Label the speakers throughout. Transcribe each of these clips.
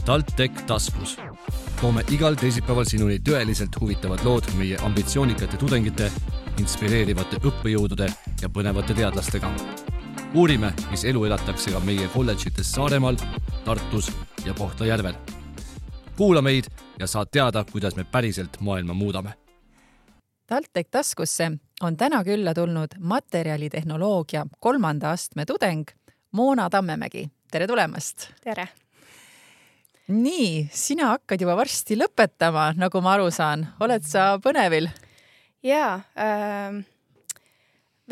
Speaker 1: TalTech taskus. Toome igal teisipäeval sinuni tõeliselt huvitavad lood meie ambitsioonikate tudengite, inspireerivate õppejõudude ja põnevate teadlastega. Uurime, mis elu elatakse ka meie kolledžites Saaremaal, Tartus ja Kohtla-Järvel. Kuula meid ja saad teada, kuidas me päriselt maailma muudame.
Speaker 2: TalTech taskusse on täna külla tulnud materjalitehnoloogia 3. astme tudeng Moona Tammemägi. Tere tulemast!
Speaker 3: Tere!
Speaker 2: Nii, sina hakkad juba varsti lõpetama, nagu ma aru saan. Oled sa põnevil?
Speaker 3: Jaa,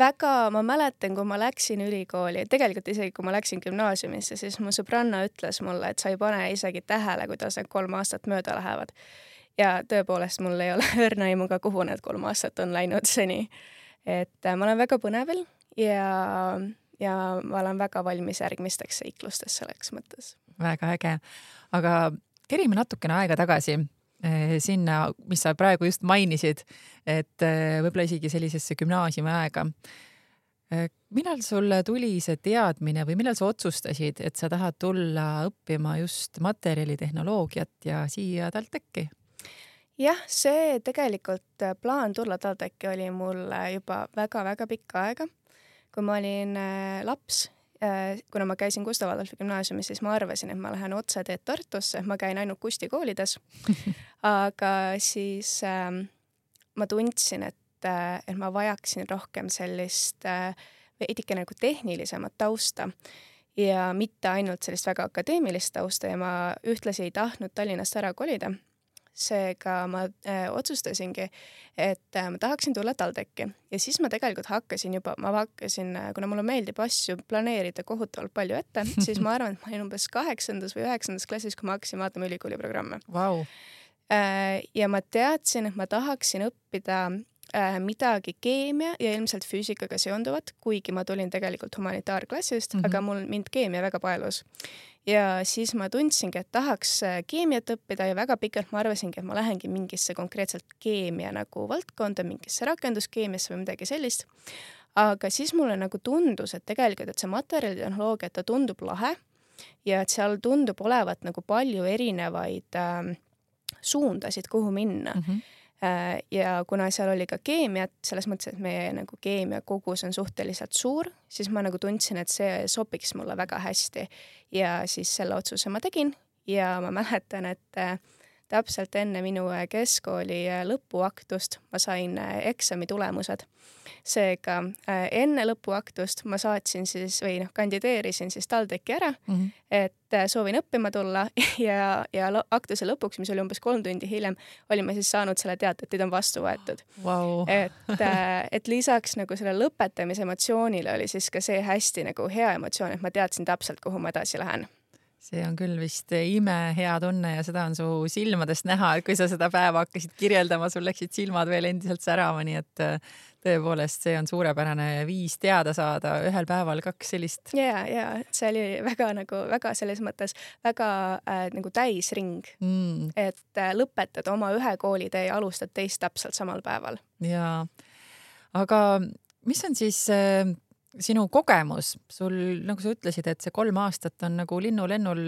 Speaker 3: väga ma mäletan, kui ma läksin ülikooli, tegelikult isegi kui ma läksin gümnaasiumisse, siis mu sõbranna ütles mulle, et sa ei pane isegi tähele, kuidas need 3 aastat mööda lähevad. Ja tõepoolest mul ei ole õrna aimuga, kuhu need 3 aastat on läinud seni. Et ma olen väga põnevil ja ma olen väga valmis järgmisteks seiklusteks selleks mõttes.
Speaker 2: Väga äge. Aga kerime natukene aega tagasi sinna, mis sa praegu just mainisid, et võib-olla isegi sellisesse gümnaasiumi aega. Millal sulle tuli see teadmine või millal sa otsustasid, et sa tahad tulla õppima just materjalitehnoloogiat ja siia TalTechi?
Speaker 3: Jah, see tegelikult plaan tulla TalTechi oli mul juba väga-väga pikka aega. Kui ma olin laps, kuna ma käisin Gustav Adolfi gümnaasiumis, siis ma arvasin, et ma lähen otse teed Tartusse, ma käin ainult Kusti koolides. Aga siis ma tundsin, et ma vajaksin rohkem sellist veidike nagu tehnilisemat tausta ja mitte ainult sellist väga akadeemilist tausta ja ma ühtlasi ei tahtnud Tallinnast ära kolida. Seega ma otsustasingi, et ma tahaksin tulla TalTechi ja siis ma tegelikult hakkasin, kuna mulle meeldib asju planeerida kohutavalt palju ette, siis ma arvan, et ma olin umbes 8. või 9. klassis, kui ma hakkasin vaatama ülikooli programme.
Speaker 2: Wow.
Speaker 3: Ja ma teadsin, et ma tahaksin õppida midagi keemia ja ilmselt füüsikaga seonduvat, kuigi ma tulin tegelikult humanitaarklassist, aga mind keemia väga paelus. Ja siis ma tundsingi, et tahaks keemiat õppida ja väga pikalt ma arvasingi, et ma lähengi mingisse konkreetselt keemia nagu valdkonda, mingisse rakenduskeemiasse või midagi sellist. Aga siis mulle nagu tundus, et tegelikult, et see materjalitehnoloogia, ta tundub lahe ja et seal tundub olevat nagu palju erinevaid suundasid, kuhu minna. Ja kuna seal oli ka keemiat, selles mõttes, et meie nagu keemia kogus on suhteliselt suur, siis ma nagu tundsin, et see sobiks mulle väga hästi. Ja siis selle otsuse ma tegin ja ma mäletan, et täpselt enne minu keskkooli lõpuaktust ma sain eksami tulemused. Seega enne lõpuaktust ma saatsin siis kandideerisin siis TalTechi ära, et soovin õppima tulla ja aktuse lõpuks, mis oli umbes 3 tundi hiljem, olime siis saanud selle teate, et teid on vastu võetud.
Speaker 2: Wow.
Speaker 3: Et lisaks nagu selle lõpetamise emotsioonile oli siis ka see hästi nagu hea emotsioon, et ma teadsin täpselt, kuhu ma edasi lähen.
Speaker 2: See on küll vist ime hea tunne ja seda on su silmadest näha, et kui sa seda päeva hakkasid kirjeldama, sul läksid silmad veel endiselt särama, nii et tõepoolest see on suurepärane viis teada saada ühel päeval 2 sellist.
Speaker 3: Ja, see oli väga selles mõttes väga nagu täisring, et lõpetad oma ühe koolitee ja alustad teist täpselt samal päeval.
Speaker 2: Ja, aga mis on siis sinu kogemus, sul, nagu sa ütlesid, et see 3 aastat on nagu linnulennul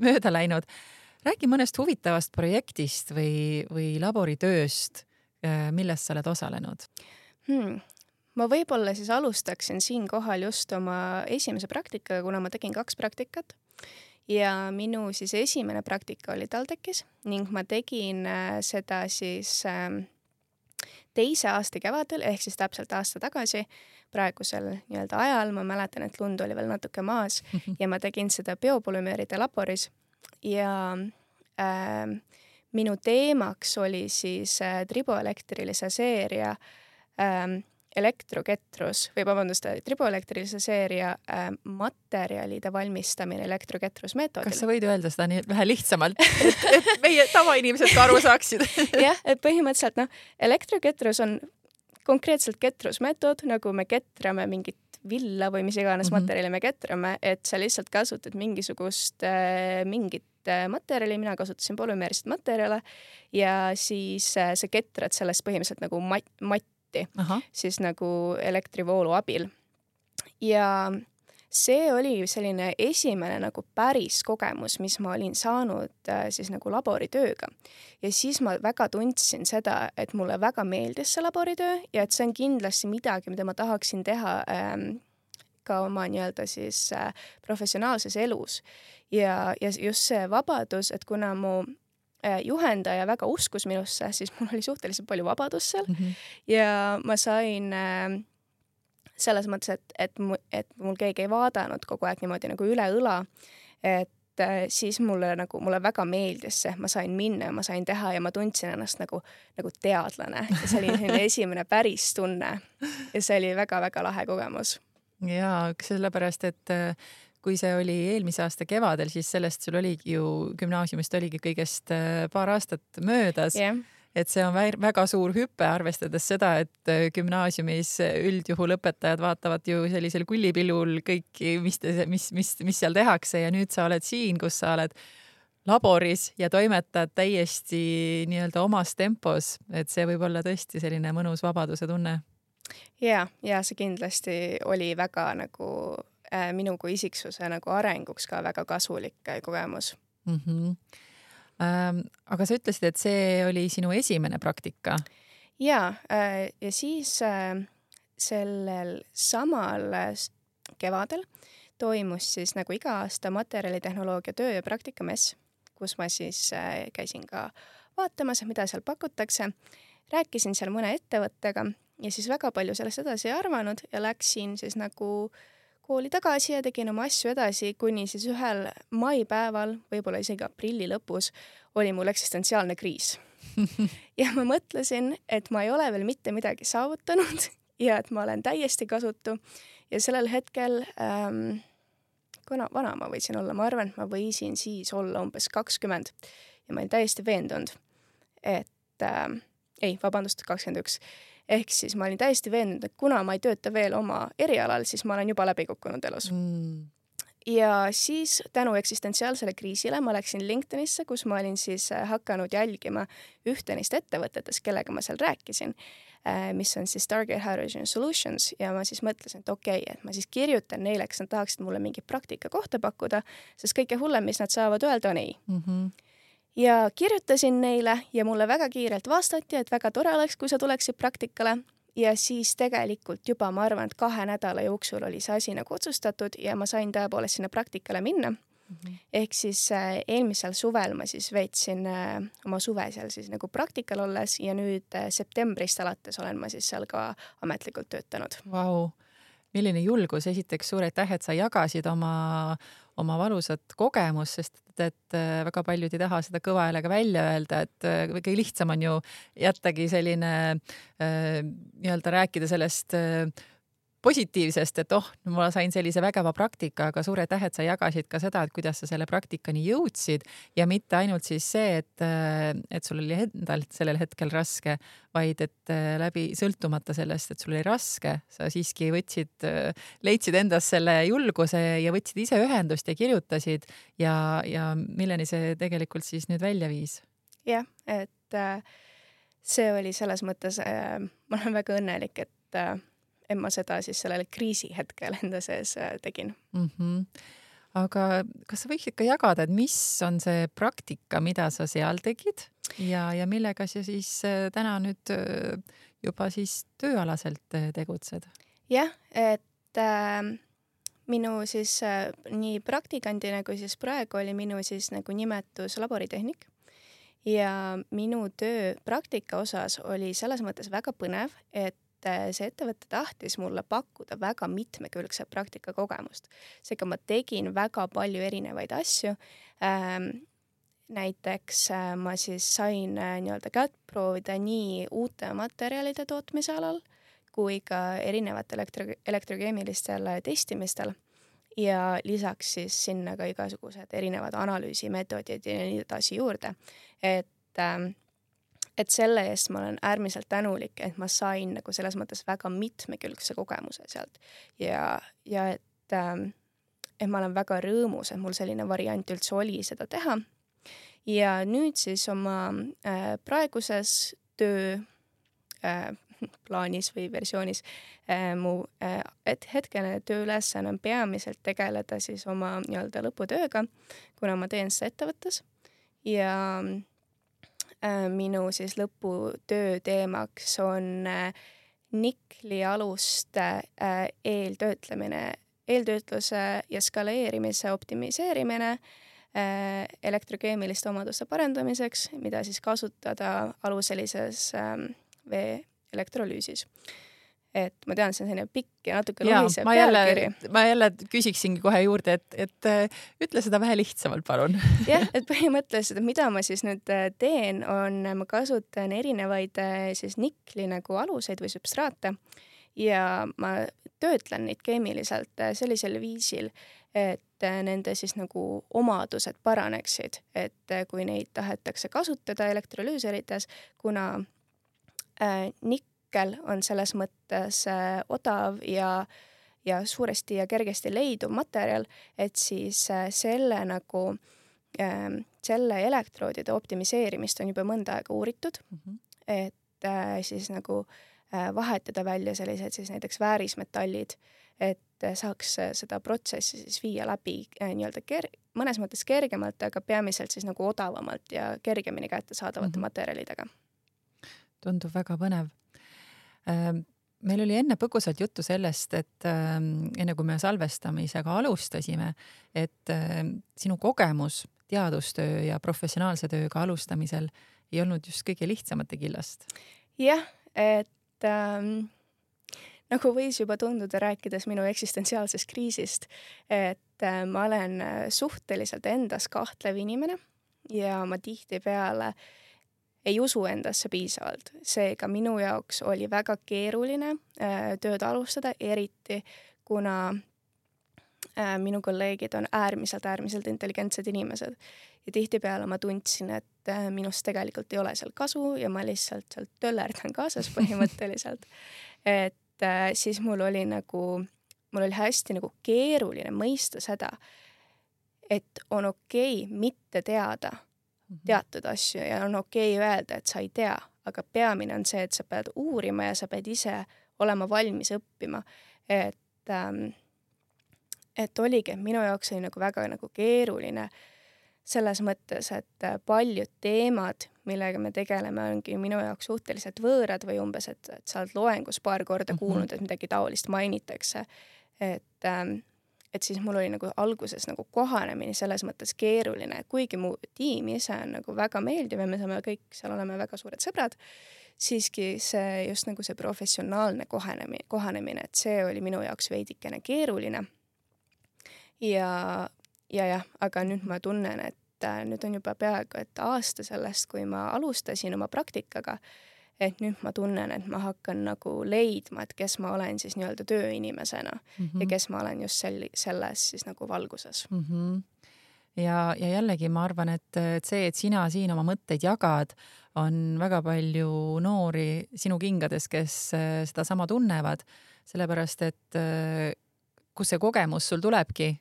Speaker 2: mööda läinud. Räägi mõnest huvitavast projektist või laboritööst, millest sa oled osalenud?
Speaker 3: Ma võib-olla siis alustaksin siin kohal just oma esimese praktikaga, kuna ma tegin 2 praktikat. Ja minu siis esimene praktika oli TalTechis ning ma tegin seda siis 2. aasta kevadel, ehk siis täpselt aasta tagasi. Praegusel nii-öelda ajal ma mäletan, et lund oli veel natuke maas ja ma tegin seda biopolümeeride laboris ja minu teemaks oli siis triboelektrilise seeria triboelektrilise seeria materjalide valmistamine elektroketrusmeetodil.
Speaker 2: Kas sa võid öelda seda nii vähe lihtsamalt, et meie tavainimesed ka aru saaksid?
Speaker 3: Jah, et põhimõtteliselt elektroketrus on konkreetselt ketrusmeetod, nagu me ketrame mingit villa või mis iganes materjali me ketrame, et sa lihtsalt kasutad mingit materjali, mina kasutasin polümeerist materjale ja siis sa ketrad sellest põhimõtteliselt nagu matti, siis nagu elektrivoolu abil. Ja see oli selline esimene nagu päris kogemus, mis ma olin saanud siis nagu laboritööga. Ja siis ma väga tundsin seda, et mulle väga meeldis see laboritöö ja et see on kindlasti midagi, mida ma tahaksin teha ka oma nii-öelda siis professionaalses elus. Ja just see vabadus, et kuna mu juhendaja väga uskus minusse, siis mul oli suhteliselt palju vabadust seal ja ma sain selles mõttes, et mul keegi ei vaadanud kogu aeg niimoodi nagu üle õla, et siis mulle väga meeldis see, ma sain minna ja ma sain teha ja ma tundsin ennast nagu teadlane ja see oli selline esimene päris tunne ja see oli väga-väga lahe kogemus.
Speaker 2: Jaa, sellepärast, et kui see oli eelmise aasta kevadel, siis sellest sul oligi ju gümnaasiumist oligi kõigest paar aastat möödas.
Speaker 3: Yeah.
Speaker 2: Et see on väga suur hüpe, arvestades seda, et gümnaasiumis üldjuhul õpetajad vaatavad ju sellisel kullipillul kõiki, mis seal tehakse ja nüüd sa oled siin, kus sa oled laboris ja toimetad täiesti nii-öelda omas tempos, et see võib olla tõesti selline mõnus vabaduse tunne.
Speaker 3: Ja see kindlasti oli väga nagu minu kui isiksuse nagu arenguks ka väga kasulik kogemus.
Speaker 2: Aga sa ütlesid, et see oli sinu esimene praktika?
Speaker 3: Ja siis sellel samal kevadel toimus siis nagu iga aasta materjalitehnoloogia töö- ja praktikamess, kus ma siis käisin ka vaatamas, mida seal pakutakse. Rääkisin seal mõne ettevõttega ja siis väga palju sellest edasi ei arvanud ja läksin siis nagu kooli tagasi ja tegin oma asju edasi, kuni siis ühel maipäeval, võib-olla isegi aprilli lõpus, oli mul eksistentsiaalne kriis. Ja ma mõtlesin, et ma ei ole veel mitte midagi saavutanud ja et ma olen täiesti kasutu. Ja sellel hetkel, kuna vana ma võisin olla, ma arvan, et ma võisin siis olla umbes 20 ja ma olin täiesti veendunud, et 21. Ehk siis ma olin täiesti veendunud, et kuna ma ei tööta veel oma erialal, siis ma olen juba läbi kukkunud elus. Ja siis tänu eksistentsiaalsele kriisile ma läksin LinkedInisse, kus ma olin siis hakanud jälgima ühte neist ettevõtetes, kellega ma seal rääkisin, mis on siis Stargate Hydrogen Solutions ja ma siis mõtlesin, et okei, et ma siis kirjutan neile, kes nad tahaksid mulle mingi praktika kohta pakkuda, sest kõige hullem, mis nad saavad öelda, on ei. Ja kirjutasin neile ja mulle väga kiirelt vastati, et väga tore oleks, kui sa tuleksid praktikale ja siis tegelikult juba ma arvan, et 2 nädala jooksul oli see asi nagu otsustatud ja ma sain tõepoolest sinna praktikale minna. Ehk siis eelmisel suvel ma siis veetsin oma suve seal siis nagu praktikal olles ja nüüd septembrist alates olen ma siis seal ka ametlikult töötanud.
Speaker 2: Vau, milline julgus, esiteks suur aitäh, et sa jagasid oma valusat kogemus, sest et väga paljud ei taha seda kõva häälega välja öelda, et kõige lihtsam on ju jättagi selline nii-öelda rääkida sellest positiivsest, et ma sain sellise vägeva praktika, aga suur aitäh, et sa jagasid ka seda, et kuidas sa selle praktikani jõudsid ja mitte ainult siis see, et sul oli endal sellel hetkel raske, vaid et läbi sõltumata sellest, et sul oli raske, sa siiski leidsid endas selle julguse ja võtsid ise ühendust ja kirjutasid ja milleni see tegelikult siis nüüd välja viis?
Speaker 3: Jah, et see oli selles mõttes, ma olen väga õnnelik, et ma seda siis sellel kriisi hetkel enda sees tegin.
Speaker 2: Aga kas sa võiksid ka jagada, et mis on see praktika, mida sa seal tegid ja millega sa siis täna nüüd juba siis tööalaselt tegutsed?
Speaker 3: Jah, et minu siis nii praktikandina kui siis praegu oli minu siis nagu nimetus laboritehnik ja minu töö praktika osas oli selles mõttes väga põnev, et see ettevõte tahtis mulle pakkuda väga mitmekülgset praktikakogemust. Seega ma tegin väga palju erinevaid asju. Näiteks ma siis sain nii-öelda kätt proovida nii uute materjalide tootmise alal kui ka erinevatel elektrokeemilistel testimistel ja lisaks siis sinna ka igasugused erinevad analüüsimeetodid ja nii edasi juurde. Et selle eest ma olen äärmiselt tänulik, et ma sain nagu selles mõttes väga mitmekülgse kogemuse sealt ja et ma olen väga rõõmus, et mul selline variant üldse oli seda teha. Ja nüüd siis oma praeguses töö plaanis või versioonis. Mu hetkene tööülesanne on peamiselt tegeleda siis oma nii-öelda lõputööga, kuna ma teen seda ettevõttes ja minu siis lõputöö teemaks on niklialuste eeltöötluse ja skaleerimise optimiseerimine elektrokeemiliste omaduste parendamiseks, mida siis kasutada aluselises vee elektrolüüsis. Et ma tean, see on selline pikk ja natuke lohisev pealkiri.
Speaker 2: Ma jälle küsiksingi kohe juurde, et ütle seda vähe lihtsamalt, palun.
Speaker 3: Jah, et põhimõtteliselt, mida ma siis nüüd teen, on, ma kasutan erinevaid siis nikli nagu aluseid või substraate ja ma töötlen neid keemiliselt sellisel viisil, et nende siis nagu omadused paraneksid, et kui neid tahetakse kasutada elektrolüüserites, kuna nikkel on selles mõttes odav ja suuresti ja kergesti leiduv materjal, et siis selle nagu selle elektroodide optimiseerimist on juba mõnda aega uuritud, et siis nagu vahetada välja sellised siis näiteks väärismetallid, et saaks seda protsessi siis viia läbi nii-öelda mõnes mõttes kergemalt, aga peamiselt siis nagu odavamalt ja kergemini kättesaadavate materjalidega.
Speaker 2: Tundub väga põnev. Meil oli enne põgusalt juttu sellest, et enne kui me salvestamisega alustasime, et sinu kogemus teadustöö ja professionaalse tööga alustamisel ei olnud just kõige lihtsamate killast.
Speaker 3: Jah, et nagu võis juba tunduda rääkides minu eksistentsiaalsest kriisist, et ma olen suhteliselt endas kahtlev inimene ja ma tihtipeale ei usu endasse piisavalt. Seega minu jaoks oli väga keeruline tööd alustada, eriti kuna minu kolleegid on äärmiselt intelligentsed inimesed. Ja tihtipeale ma tundsin, et minust tegelikult ei ole seal kasu ja ma lihtsalt sealt töllerdan kaasas põhimõtteliselt. Et siis mul oli hästi nagu keeruline mõista seda, et on okei mitte teada teatud asju ja on okei öelda, et sa ei tea, aga peamine on see, et sa pead uurima ja sa pead ise olema valmis õppima. Et oligi, minu jaoks oli nagu väga nagu keeruline selles mõttes, et paljud teemad, millega me tegeleme, ongi minu jaoks suhteliselt võõrad või umbes, et sa oled loengus paar korda kuulnud, et midagi taolist mainitakse. Et siis mul oli nagu alguses nagu kohanemine selles mõttes keeruline, kuigi mu tiim ise on nagu väga meeldiv ja me saame kõik seal oleme väga suured sõbrad, siiski see just nagu see professionaalne kohanemine, et see oli minu jaoks veidikene keeruline. Ja, aga nüüd ma tunnen, et nüüd on juba peaaegu et aasta sellest, kui ma alustasin oma praktikaga, et nüüd ma tunnen, et ma hakkan nagu leidma, et kes ma olen siis nii-öelda tööinimesena ja kes ma olen just selles siis nagu valguses.
Speaker 2: Ja jällegi ma arvan, et see, et sina siin oma mõtteid jagad, on väga palju noori sinu kingades, kes seda sama tunnevad, sellepärast, et kus see kogemus sul tulebki,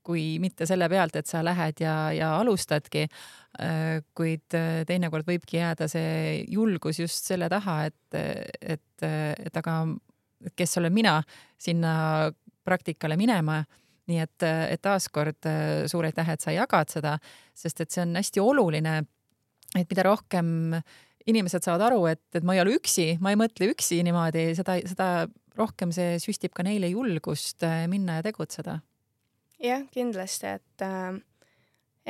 Speaker 2: kui mitte selle pealt, et sa lähed ja alustadki, kuid teinekord võibki jääda see julgus just selle taha, et aga kes olen mina sinna praktikale minema, nii et taaskord suur aitäh, et sa jagad seda, sest et see on hästi oluline, et mida rohkem inimesed saavad aru, et ma ei ole üksi, ma ei mõtle üksi niimoodi, seda rohkem see süstib ka neile julgust minna ja tegutseda.
Speaker 3: Jah, kindlasti, et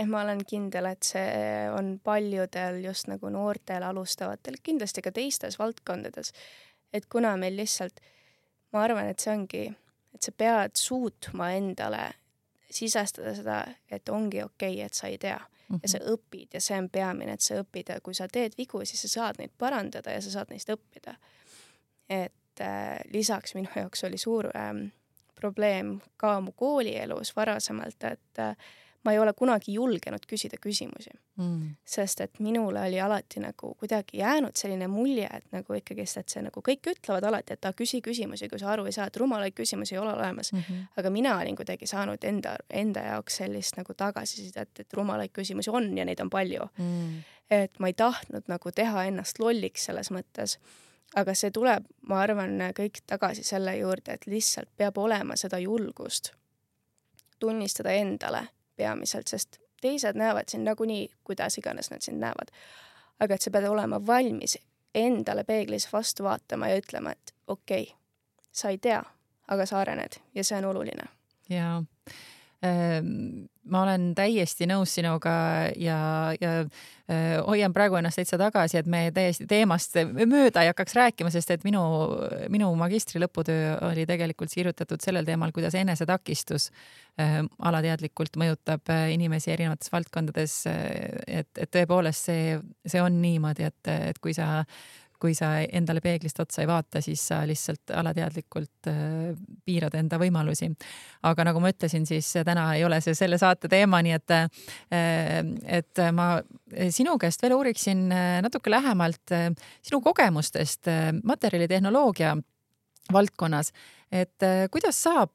Speaker 3: ma olen kindel, et see on paljudel just nagu noortel alustavatel, kindlasti ka teistes valdkondades, et kuna meil lihtsalt, ma arvan, et see ongi, et sa pead suutma endale sisestada seda, et ongi okei, et sa ei tea ja sa õpid ja see on peamine, et sa õpid ja kui sa teed vigu, siis sa saad neid parandada ja sa saad neist õppida. Et lisaks minu jaoks oli suur probleem ka mu koolielus varasemalt, et ma ei ole kunagi julgenud küsida küsimusi. Sest et minule oli alati nagu kuidagi jäänud selline mulje, et nagu ikkagi, et see nagu kõik ütlevad alati, et küsi küsimusi, kui sa aru ei saa, et rumalaid küsimusi ei ole olemas. Aga mina olin kuidagi saanud enda jaoks sellist nagu tagasisidet, et rumalaid küsimusi on ja neid on palju. Et ma ei tahtnud nagu teha ennast lolliks selles mõttes. aga see tuleb, ma arvan, kõik tagasi selle juurde, et lihtsalt peab olema seda julgust tunnistada endale peamiselt, sest teised näevad sind nagunii, kuidas iganes nad sind näevad. Aga et sa pead olema valmis endale peeglis vastu vaatama ja ütlema, et okei, sa ei tea, aga sa arened ja see on oluline.
Speaker 2: Jaa. Ma olen täiesti nõus sinuga ja hoian praegu ennast täitsa tagasi, et me täiesti teemast mööda ei hakkaks rääkima, sest et minu magistri lõputöö oli tegelikult kirjutatud sellel teemal, kuidas enesetakistus alateadlikult mõjutab inimesi erinevates valdkondades, et tõepoolest see on niimoodi, et kui sa endale peeglist otsa ei vaata, siis sa lihtsalt alateadlikult piirad enda võimalusi. Aga nagu ma ütlesin, siis täna ei ole see selle saate teema, nii et ma sinu käest veel uuriksin natuke lähemalt sinu kogemustest materjalitehnoloogia valdkonnas, et kuidas saab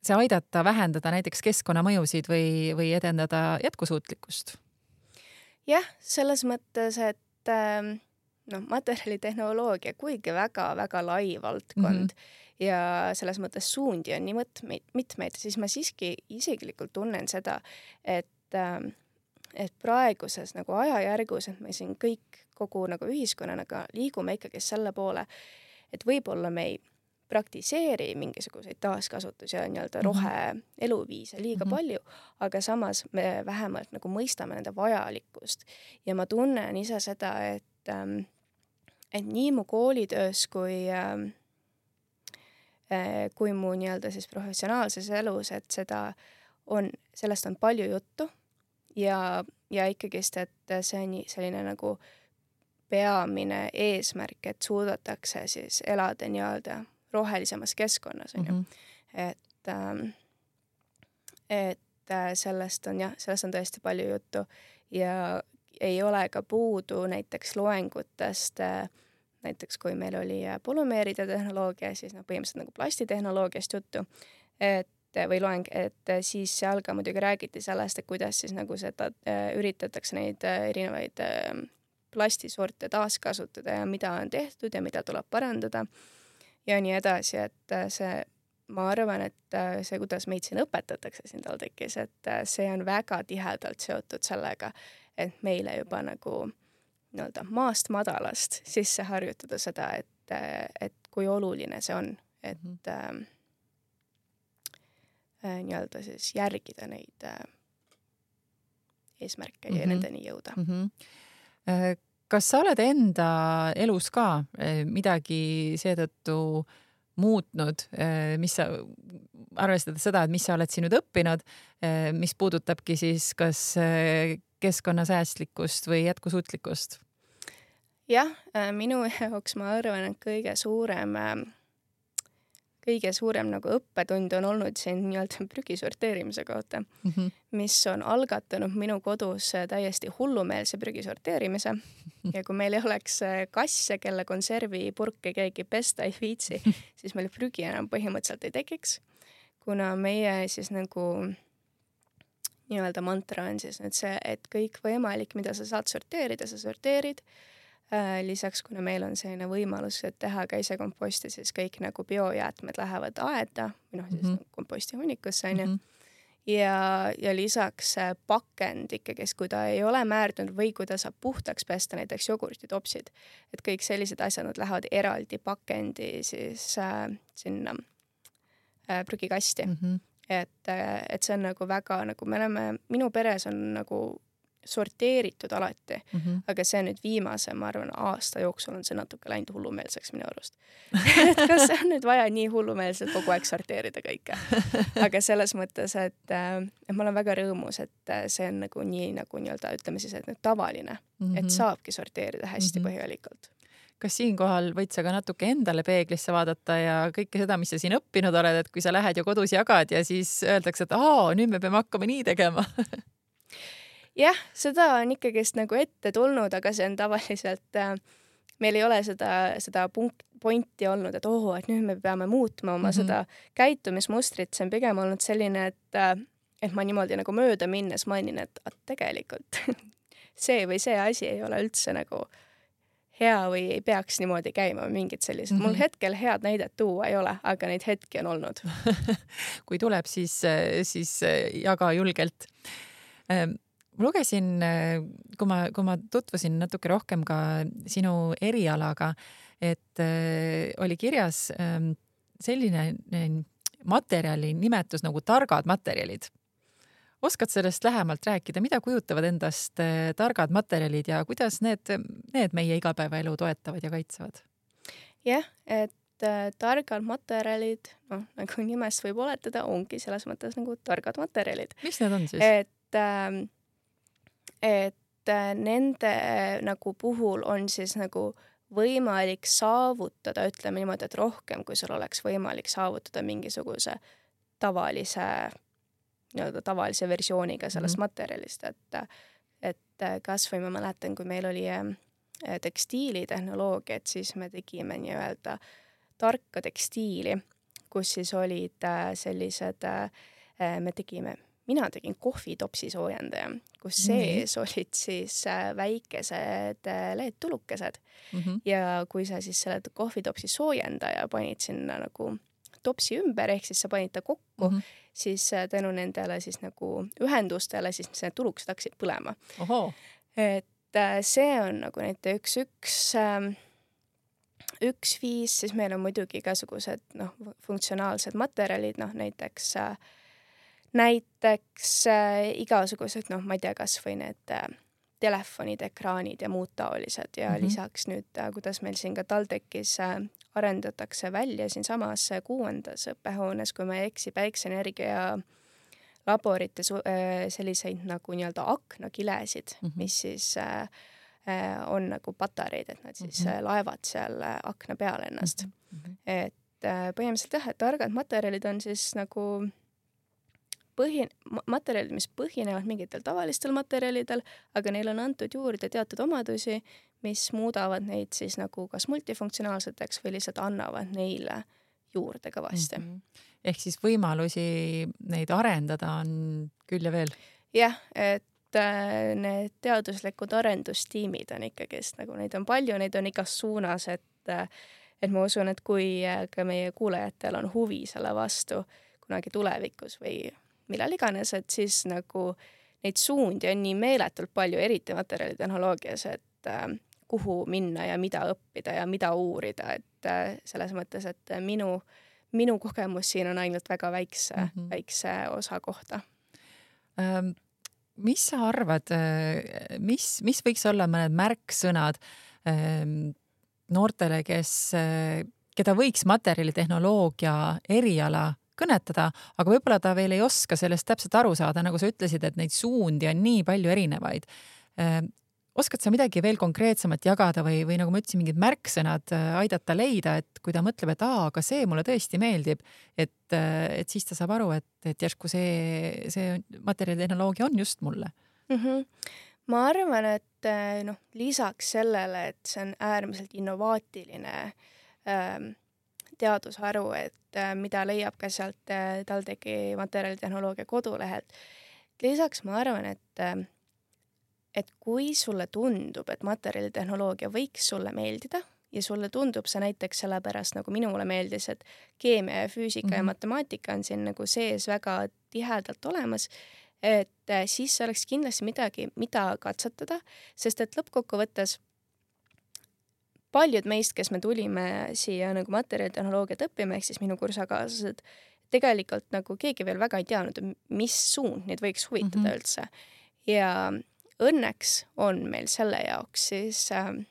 Speaker 2: see aidata vähendada näiteks keskkonnamõjusid või edendada jätkusuutlikkust?
Speaker 3: Jah, selles mõttes, et materjalitehnoloogia kuigi väga-väga lai valdkond ja selles mõttes suundi on nii mitmeid, siis ma siiski isiklikult tunnen seda, et praeguses nagu ajajärgus, et me siin kõik kogu nagu ühiskonnanaga liigume ikkagi selle poole, et võib-olla me ei praktiseeri mingisuguseid taaskasutusi ja nii-öelda rohe-eluviise liiga palju, aga samas me vähemalt nagu mõistame nende vajalikkust. Ja ma tunnen ise seda, et nii mu koolitöös kui mu nii-öelda siis professionaalses elus, et sellest on palju juttu ja ikkagist, et see on selline nagu peamine eesmärk, et suudetakse siis elada nii-öelda rohelisemas keskkonnas. Et sellest on tõesti palju juttu ja ei ole ka puudu näiteks loengutest, näiteks kui meil oli polümeeride tehnoloogia, siis põhimõtteliselt nagu plastitehnoloogiast juttu, või loeng, et siis seal ka muidugi räägiti sellest, et kuidas siis nagu seda üritatakse neid erinevaid plastisorte taaskasutada ja mida on tehtud ja mida tuleb parandada ja nii edasi, et ma arvan, et see, kuidas meid siin õpetatakse siin TalTechis, et see on väga tihedalt seotud sellega, et meile juba nagu nii-öelda maast madalast sisse harjutada seda, et kui oluline see on, et nii-öelda siis järgida neid eesmärke ja nendeni jõuda.
Speaker 2: Kas sa oled enda elus ka midagi seetõttu muutnud, mis sa arvestades seda, et mis sa oled siin nüüd õppinud, mis puudutabki siis kas keskkonnasäästlikkust või jätkusuutlikkust?
Speaker 3: Jah, minu jaoks ma arvan, et kõige suurem nagu õppetund on olnud siin nii-öelda prügi sorteerimise kohta, mis on algatanud minu kodus täiesti hullumeelse prügi sorteerimise. Ja kui meil ei oleks kasse, kelle konservipurke keegi pesta ei viitsi, siis meil prügi enam põhimõtteliselt ei tekiks, kuna meie siis nagu nii-öelda mantra on siis nüüd see, et kõik võimalik, mida sa saad sorteerida, sa sorteerid. Lisaks, kuna meil on selline võimalus, et teha ka ise komposti, siis kõik nagu biojäätmed lähevad aeda, või siis komposti hunnikusse, ja lisaks pakend ikkagi, kui ta ei ole määrdunud või kui ta saab puhtaks pesta, näiteks jogurtitopsid, et kõik sellised asjad, nad lähevad eraldi pakendi siis sinna prügikasti. Et see on nagu väga, nagu me oleme, minu peres on nagu sorteeritud alati, aga see nüüd viimase, ma arvan, aasta jooksul on see natuke läinud hullumeelseks minu arust. Et kas see on nüüd vaja nii hullumeelselt kogu aeg sorteerida kõike? Aga selles mõttes, et ma olen väga rõõmus, et see on nagu nii, nagu nii-öelda ütleme siis, et nüüd tavaline, et saabki sorteerida hästi põhjalikult.
Speaker 2: Kas siinkohal võid sa ka natuke endale peeglisse vaadata ja kõike seda, mis sa siin õppinud oled, et kui sa lähed ja kodus jagad ja siis öeldakse, et nüüd me peame hakkama nii tegema?
Speaker 3: Jah, seda on ikkagist nagu ette tulnud, aga see on tavaliselt, meil ei ole seda pointi olnud, et et nüüd me peame muutma oma seda käitumismustrit. See on pigem olnud selline, et ma niimoodi nagu mööda minnes mainin, et tegelikult see või see asi ei ole üldse nagu hea või ei peaks niimoodi käima või mingid sellised. Mul hetkel head näidet tuua ei ole, aga neid hetki on olnud.
Speaker 2: Kui tuleb, siis jaga julgelt. Ma lugesin, kui ma tutvusin natuke rohkem ka sinu erialaga, et oli kirjas selline materjali nimetus nagu targad materjalid. Oskad sellest lähemalt rääkida, mida kujutavad endast targad materjalid ja kuidas need meie igapäevaelu toetavad ja kaitsevad?
Speaker 3: Jah, et targad materjalid, nagu nimest võib oletada, ongi selles mõttes nagu targad materjalid.
Speaker 2: Mis need on siis?
Speaker 3: Et nende nagu puhul on siis nagu võimalik saavutada, ütleme niimoodi, et rohkem, kui sul oleks võimalik saavutada mingisuguse tavalise versiooniga sellest materjalist, et kas või ma mäletan, kui meil oli tekstiilitehnoloogiat, siis me tegime nii-öelda tarka tekstiili, kus siis olid sellised, mina tegin kohvitopsi soojendaja, kus sees olid siis väikesed LED-tulukesed ja kui sa siis selle kohvitopsi soojendaja panid sinna nagu topsi ümber, ehk siis sa panid ta kokku, siis tänu nendele siis nagu ühendustele, siis need tulukesed hakkasid põlema. Et see on nagu näiteks üks viis, siis meil on muidugi igasugused funktsionaalsed materjalid, näiteks igasugused, ma ei tea, kas või need telefonid, ekraanid ja muud taolised ja lisaks nüüd, kuidas meil siin ka TalTechis arendatakse välja siin samas 6. õppehoones, kui ma ei eksi, päikseenergia laborite selliseid nagu nii-öelda aknakilesid, mis siis on nagu patareid, et nad siis laevad seal akna peal ennast. Et põhimõtteliselt jah, et targad materjalid on siis nagu materjalid, mis põhinevad mingitel tavalistel materjalidel, aga neil on antud juurde teatud omadusi, mis muudavad neid siis nagu kas multifunktsionaalseteks või lihtsalt annavad neile juurde kõvasti.
Speaker 2: Ehk siis võimalusi neid arendada on küll ja veel?
Speaker 3: Jah, et need teaduslikud arendustiimid on ikkagist, nagu neid on palju, neid on igas suunas, et ma usun, et kui ka meie kuulajatel on huvi selle vastu kunagi tulevikus või millal iganes, et siis nagu neid suundi on nii meeletult palju, eriti materjalitehnoloogias, et kuhu minna ja mida õppida ja mida uurida, et selles mõttes, et minu kogemus siin on ainult väga väikse osa kohta.
Speaker 2: Mis sa arvad, mis võiks olla mõned märksõnad noortele, keda võiks materjalitehnoloogia eriala kõnetada, aga võib-olla ta veel ei oska sellest täpselt aru saada, nagu sa ütlesid, et neid suundi on nii palju erinevaid. Oskad sa midagi veel konkreetsemat jagada või nagu ma ütlesin, mingid märksõnad aidata leida, et kui ta mõtleb, et aga see mulle tõesti meeldib, et siis ta saab aru, et järsku see materjalitehnoloogia on just mulle?
Speaker 3: Ma arvan, et lisaks sellele, et see on äärmiselt innovaatiline teadusharu, et mida leiab ka sealt TalTechi materjalitehnoloogia kodulehelt. Lisaks ma arvan, et kui sulle tundub, et materjalitehnoloogia võiks sulle meeldida ja sulle tundub see näiteks sellepärast, nagu minule meeldis, et keemia ja füüsika ja matemaatika on siin nagu sees väga tihedalt olemas, et siis oleks kindlasti midagi, mida katsetada, sest et lõppkokkuvõttes paljud meist, kes me tulime siia nagu materjalitehnoloogiat õppima, ehk siis minu kursakaaslased, tegelikult nagu keegi veel väga ei teadnud, mis suund neid võiks huvitada üldse. Ja õnneks on meil selle jaoks siis 2.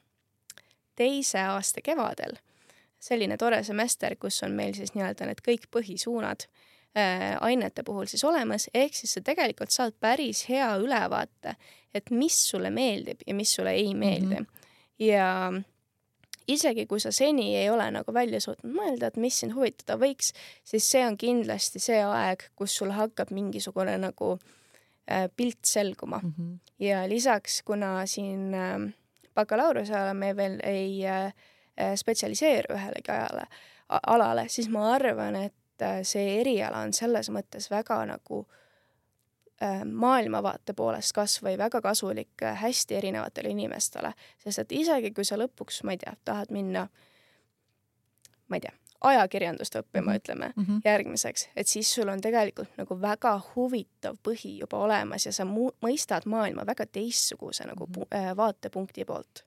Speaker 3: aasta kevadel selline tore semester, kus on meil siis nii-öelda need kõik põhisuunad ainete puhul siis olemas, ehk siis sa tegelikult saad päris hea ülevaate, et mis sulle meeldib ja mis sulle ei meeldi. Ja isegi kui sa seni ei ole nagu välja suutnud mõelda, et mis sind huvitada võiks, siis see on kindlasti see aeg, kus sul hakkab mingisugune nagu pilt selguma. Ja lisaks, kuna siin bakalaureuse ajal me veel ei spetsialiseeru ühelegi alale, siis ma arvan, et see eriala on selles mõttes väga nagu maailmavaate poolest kasvõi väga kasulik hästi erinevatele inimestele, sest et isegi kui sa lõpuks, ma ei tea, tahad minna, ma ei tea, ajakirjandust õppima, ütleme, järgmiseks, et siis sul on tegelikult nagu väga huvitav põhi juba olemas ja sa mõistad maailma väga teistsuguse nagu vaatepunkti poolt.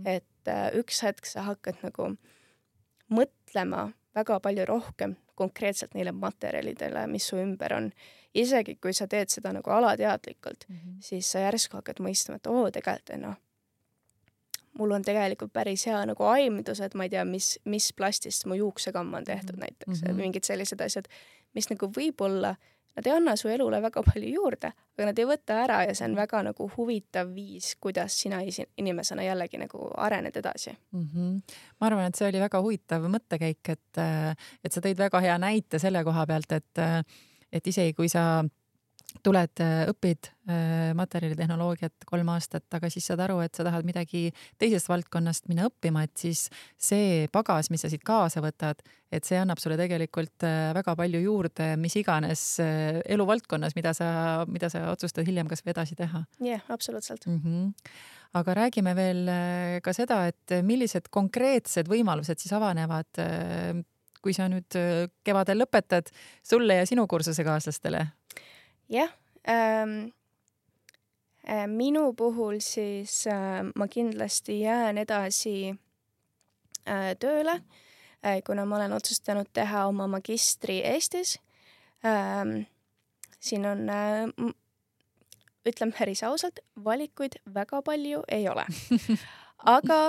Speaker 3: Et üks hetk sa hakkad nagu mõtlema väga palju rohkem konkreetselt neile materjalidele, mis su ümber on. Isegi kui sa teed seda nagu alateadlikult, siis sa järsku hakkad mõistma, et tegelikult, mul on tegelikult päris hea nagu aimdus, et ma ei tea, mis plastist mu juuksekamm on tehtud näiteks, mingid sellised asjad, mis nagu võib-olla, nad ei anna su elule väga palju juurde, aga nad ei võta ära ja see on väga nagu huvitav viis, kuidas sina inimesena jällegi nagu arened edasi.
Speaker 2: Ma arvan, et see oli väga huvitav mõttekäik, et sa tõid väga hea näite selle koha pealt, et isegi kui sa tuled, õpid materjalitehnoloogiat 3 aastat, aga siis saad aru, et sa tahad midagi teisest valdkonnast minna õppima, et siis see pagas, mis sa siit kaasa võtad, et see annab sulle tegelikult väga palju juurde, mis iganes eluvaldkonnas, mida sa otsustad hiljem kas või edasi teha.
Speaker 3: Jah, absoluutselt.
Speaker 2: Aga räägime veel ka seda, et millised konkreetsed võimalused siis avanevad, kui sa nüüd kevadel lõpetad sulle ja sinu kursuse kaaslastele?
Speaker 3: Jah, minu puhul siis ma kindlasti jään edasi tööle, kuna ma olen otsustanud teha oma magistri Eestis. Siin on, ütleme päris ausalt, valikuid väga palju ei ole. Aga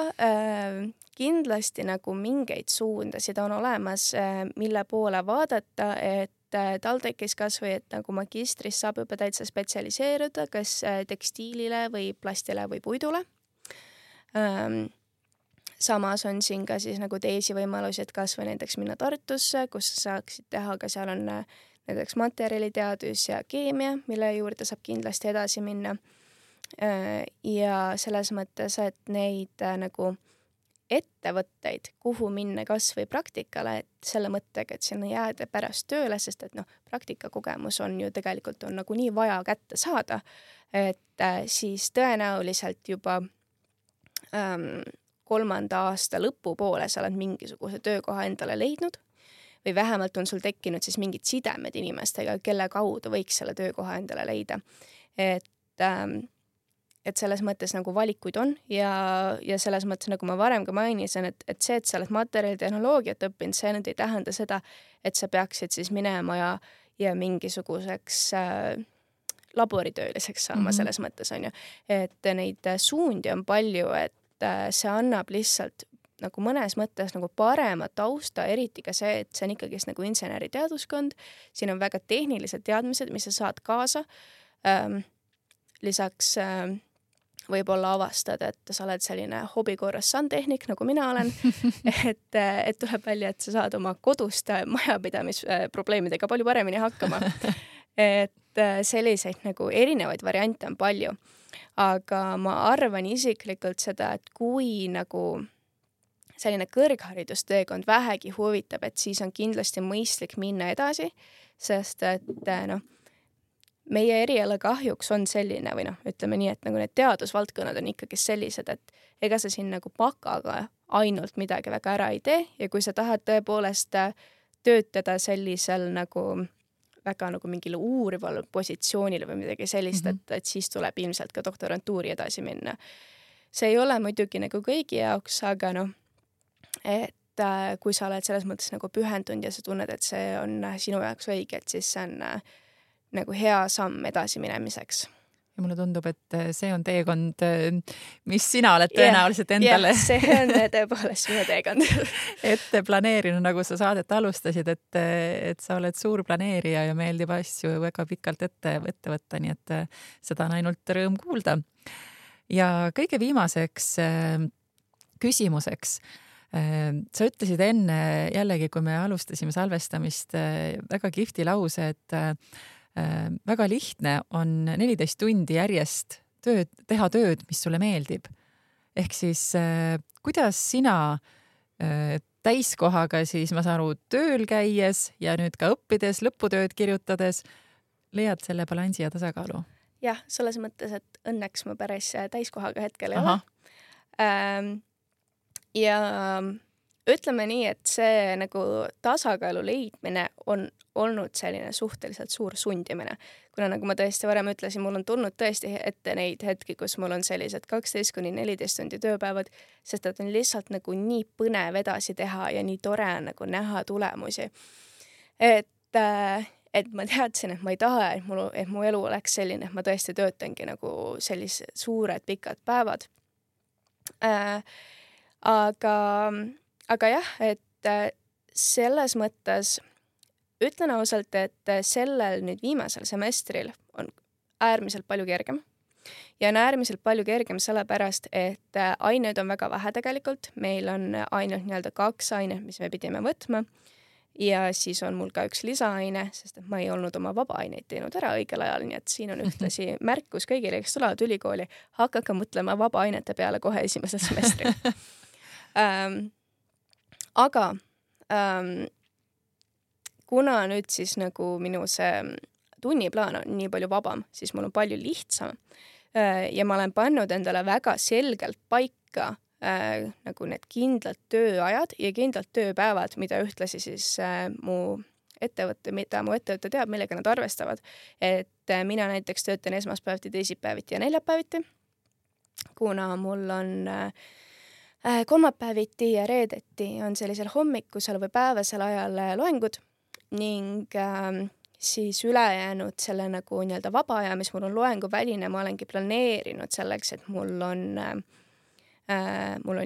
Speaker 3: kindlasti nagu mingeid suundasid on olemas, mille poole vaadata, et TalTechis kas või, et nagu magistris saab juba täitsa spetsialiseeruda, kas tekstiilile või plastile või puidule. Samas on siin ka siis nagu teisi võimalusi, et kas või näiteks minna Tartusse, kus saaksid teha, ka seal on näiteks materjaliteadus ja keemia, mille juurde saab kindlasti edasi minna. Ja selles mõttes, et neid nagu ettevõtteid, kuhu minna kas või praktikale, et selle mõttega, et sinna jääda pärast tööle, sest et praktikakogemus on ju tegelikult on nagu nii vaja kätte saada, et siis tõenäoliselt juba 3. aasta lõpupoole sa oled mingisuguse töökoha endale leidnud või vähemalt on sul tekkinud siis mingid sidemed inimestega, kelle kaudu võiks selle töökoha endale leida. Et selles mõttes nagu valikuid on ja selles mõttes, nagu ma varem ka mainisin, et see, et sa oled materjalitehnoloogiat õppinud, see nüüd ei tähenda seda, et sa peaksid siis minema ja mingisuguseks laboritööliseks saama selles mõttes, on ju. Et neid suundi on palju, et see annab lihtsalt nagu mõnes mõttes nagu parema tausta, eriti ka see, et see on ikkagi nagu inseneriteaduskond, siin on väga tehnilised teadmised, mis sa saad kaasa. Lisaks võib-olla avastad, et sa oled selline hobikorras sandtehnik, nagu mina olen, et tuleb välja, et sa saad oma kodust majapidamisprobleemidega palju paremini hakkama. Et selliseid nagu erinevaid variante on palju. Aga ma arvan isiklikult seda, et kui nagu selline kõrgharidusteekond vähegi huvitab, et siis on kindlasti mõistlik minna edasi, sest et meie eriala kahjuks on selline või ütleme nii, et nagu need teadusvaldkonnad on ikkagi sellised, et ega sa siin nagu pakaga ainult midagi väga ära ei tee ja kui sa tahad tõepoolest töötada sellisel nagu väga nagu mingile uurival positsioonile või midagi sellist, et siis tuleb ilmselt ka doktorantuuri edasi minna. See ei ole muidugi nagu kõigi jaoks, aga et kui sa oled selles mõttes nagu pühendunud ja sa tunned, et see on sinu jaoks õige, et siis see on nagu hea samm edasi minemiseks.
Speaker 2: Ja mulle tundub, et see on teekond, mis sina oled tõenäoliselt endale.
Speaker 3: See on tõepoolest minu teekond.
Speaker 2: Ette planeerinud, nagu sa saadet alustasid, et sa oled suur planeerija ja meeldib asju väga pikalt ette võtta, nii et seda on ainult rõõm kuulda. Ja kõige viimaseks küsimuseks. Sa ütlesid enne jällegi, kui me alustasime salvestamist, väga kihvti lause, et väga lihtne on 14 tundi järjest teha tööd, mis sulle meeldib. Ehk siis, kuidas sina täiskohaga siis, ma saan aru, tööl käies ja nüüd ka õppides, lõputööd kirjutades, leiad selle balansi ja tasakaalu?
Speaker 3: Jah, selles mõttes, et õnneks ma päris täiskohaga hetkel ei ole. Ja ütleme nii, et see nagu tasakaalu leidmine on olnud selline suhteliselt suur sundimine. Kuna nagu ma tõesti varem ütlesin, mul on tulnud tõesti ette neid hetki, kus mul on sellised 12–14 tundi tööpäevad, sest et on lihtsalt nagu nii põnev edasi teha ja nii tore nagu näha tulemusi. Et ma teadsin, et ma ei taha, et mu elu oleks selline, et ma tõesti töötangi nagu sellised suured pikad päevad. Aga jah, et selles mõttes ütlen ausalt, et sellel nüüd viimasel semestril on äärmiselt palju kergem. Ja on äärmiselt palju kergem sellepärast, et aineid on väga vähe tegelikult. Meil on ainult nii-öelda 2 ainet, mis me pidime võtma. Ja siis on mul ka üks lisaaine, sest et ma ei olnud oma vaba-aineid teinud ära õigel ajal, nii et siin on ühtlasi märkus kõigile, kes tulevad ülikooli, hakake mõtlema vaba-ainete peale kohe esimesel semestril. Aga kuna nüüd siis nagu minu see tunniplaan on nii palju vabam, siis mul on palju lihtsam ja ma olen pannud endale väga selgelt paika nagu need kindlad tööajad ja kindlad tööpäevad, mida ühtlasi siis mu ettevõte teab, millega nad arvestavad. Et mina näiteks töötan esmaspäeviti, teisipäeviti ja neljapäeviti, kuna mul on kolmapäeviti ja reedeti on sellisel hommikusel või päevasel ajal loengud ning siis ülejäänud selle nagu nii-öelda vaba aja, mis mul on loenguväline, ma olengi planeerinud selleks, et mul on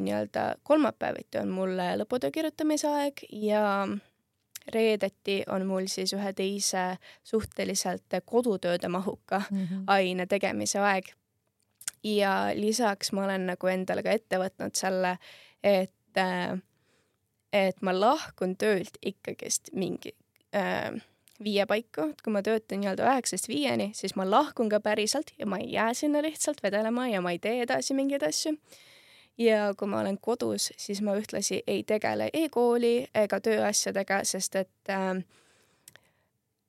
Speaker 3: nii-öelda kolmapäeviti on mul lõputöö kirjutamise aeg ja reedeti on mul siis ühe teise suhteliselt kodutööde mahuka aine tegemise aeg. Ja lisaks ma olen nagu endale ka ette võtnud selle, et ma lahkun töölt ikkagist mingi 5 paiku, et kui ma töötan nii-öelda 9–5, siis ma lahkun ka päriselt ja ma ei jää sinna lihtsalt vedelema ja ma ei tee edasi mingeid asju. Ja kui ma olen kodus, siis ma ühtlasi ei tegele e-kooli ega tööasjadega, sest et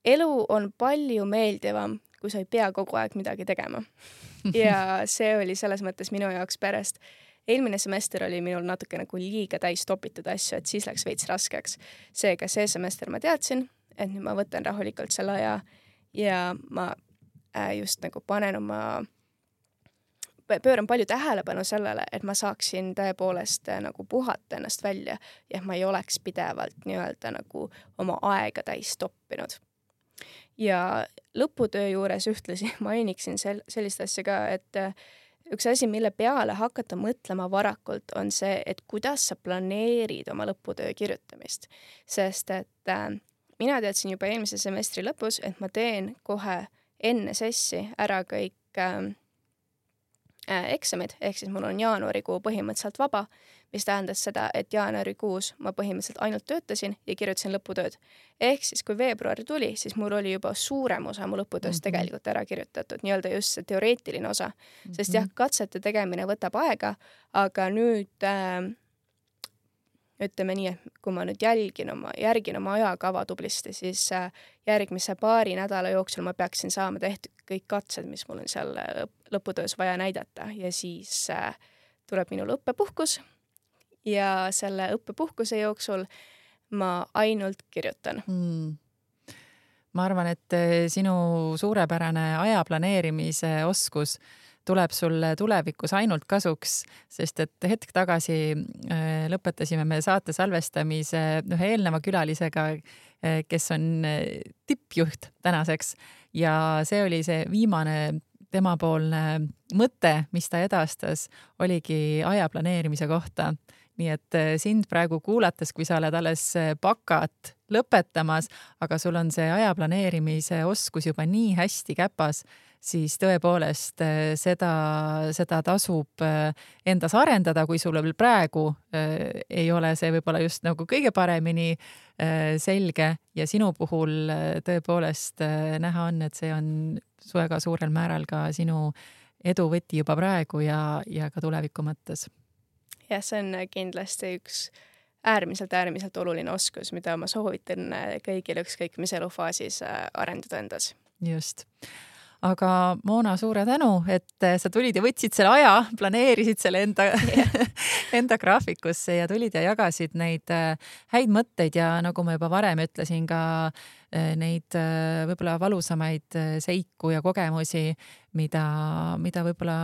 Speaker 3: elu on palju meeldivam, kui sa ei pea kogu aeg midagi tegema. Ja see oli selles mõttes minu jaoks pärast. Eelmine semester oli minul natuke nagu liiga täis topitud asju, et siis läks veits raskeks. Seega see semester ma teadsin, et nüüd ma võtan rahulikult selle aja ja ma just nagu pööran palju tähelepanu sellele, et ma saaksin tõepoolest nagu puhata ennast välja ja ma ei oleks pidevalt nii-öelda nagu oma aega täis toppinud. Ja lõputöö juures ühtlasi mainiksin sellist asja ka, et üks asi, mille peale hakata mõtlema varakult, on see, et kuidas sa planeerid oma lõputöö kirjutamist. Sest et mina teadsin juba eelmise semestri lõpus, et ma teen kohe enne sessi ära kõik eksamid, ehk siis mul on jaanuarikuu põhimõtteliselt vaba, mis tähendas seda, et jaanuarikuus ma põhimõtteliselt ainult töötasin ja kirjutasin lõputööd. Ehk siis kui veebruar tuli, siis mul oli juba suurem osa mu lõputööst tegelikult ära kirjutatud, nii-öelda just see teoreetiline osa. Sest jah, katsete tegemine võtab aega, aga nüüd ütleme nii, et kui ma nüüd järgin oma ajakava tublisti, siis järgmise paari nädala jooksul ma peaksin saama tehtud kõik katsed, mis mul on seal lõputöös vaja näidata ja siis tuleb minul õppepuhkus ja selle õppepuhkuse jooksul ma ainult kirjutan.
Speaker 2: Ma arvan, et sinu suurepärane aja planeerimise oskus tuleb sulle tulevikus ainult kasuks, sest et hetk tagasi lõpetasime me saate salvestamise ühe eelneva külalisega, kes on tippjuht tänaseks ja see oli see viimane temapoolne mõte, mis ta edastas, oligi aja planeerimise kohta. Nii et sind praegu kuulates, kui sa oled alles bakat lõpetamas, aga sul on see aja planeerimise oskus juba nii hästi käpas, siis tõepoolest seda tasub endas arendada, kui sul veel praegu ei ole see võib-olla just nagu kõige paremini selge ja sinu puhul tõepoolest näha on, et see on väga suurel määral ka sinu edu võti juba praegu ja ka tuleviku mõttes.
Speaker 3: Ja see on kindlasti üks äärmiselt oluline oskus, mida ma soovitan kõigil ükskõik mis elufaasis arendada endas.
Speaker 2: just. Aga Moona, suure tänu, et sa tulid ja võtsid selle aja, planeerisid selle enda graafikusse ja tulid ja jagasid neid häid mõtteid ja nagu ma juba varem ütlesin, ka neid võib-olla valusamaid seiku ja kogemusi, mida võib-olla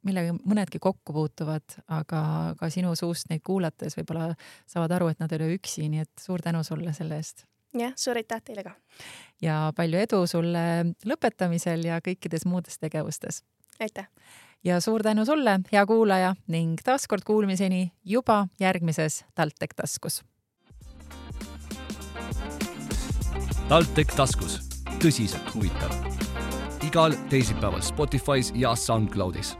Speaker 2: millega mõnedki kokku puutuvad, aga ka sinu suust neid kuulates võib-olla saavad aru, et nad ei ole üksi, nii et suur tänu sulle selle eest.
Speaker 3: Jah, suur aitäh teile ka.
Speaker 2: Ja palju edu sulle lõpetamisel ja kõikides muudes tegevustes.
Speaker 3: Aitäh.
Speaker 2: Ja suur tänu sulle, hea kuulaja, ning taaskord kuulmiseni juba järgmises TalTech taskus.
Speaker 1: TalTech taskus. Tõsiselt huvitav. Igal teisipäeval Spotify's ja SoundCloudis.